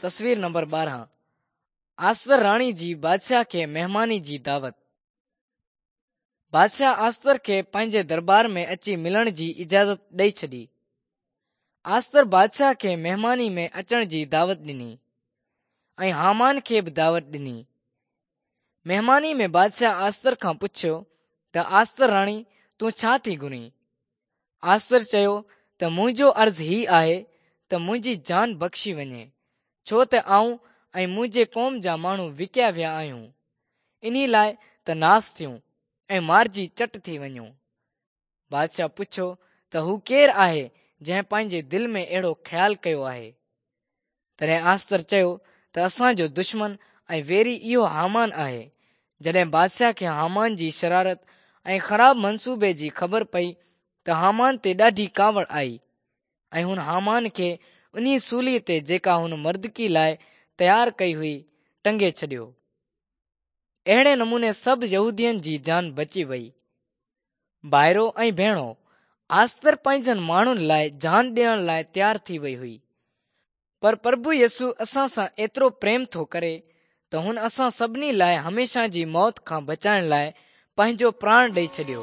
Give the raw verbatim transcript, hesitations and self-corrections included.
تصوير نمبر ٻارهن، آستر راڻي جي بادشاهه کي مهماني جي دعوت. بادشاهه آستر کي پنهنجي دربار ۾ اچي ملڻ جي اجازت ڏئي ڇڏي. آستر بادشاهه کي مهماني ۾ اچڻ جي دعوت ڏني ۽ هامان کي به دعوت ڏني. مهماني ۾ بادشاهه آستر کان پڇيو ته آستر راڻي، تون ڇا ٿي گهرين؟ آستر چيو ته منهنجو عرض هي آهي ته منهنجي جان بخشي وڃي، ڇو ته آئون ۽ منهنجي قوم جا ماڻهو وڪيا ويا آهيون، انهي لاء ته ناس ٿيون ۽ مارجي چٽ ٿي وڃون. بادشاهه پڇيو ته هو ڪير آهي جنهن پنهنجي دل ۾ اهڙو خيال ڪيو آهي؟ تڏهن آستر چيو ته اسان جو دشمن ۽ ويري اهو هامان آهي. جڏهن بادشاهه کي هامان جي شرارت ۽ خراب منصوبي جي خبر پئي ته هامان تي ڏاڍي ڪاوڙ آئي ۽ هن هامان کي انهي سولي تي جيڪا هن مردڪي لاء تيار ڪئي هئي ٽنگي ڇڏيو. اهڙي نموني سڀ يهودين جي جان بچي وئي. ڀائرو ۽ ڀيڻو، آستر پنهنجن ماڻهن لاء جان ڏيڻ لاء تيار ٿي وئي هئي، پر پرڀو يسوع اسان سان ايترو پريم ٿو ڪري ته هن اسان سڀني لاء هميشه جي موت کان بچائڻ لاء پنهنجو پراڻ ڏئي ڇڏيو.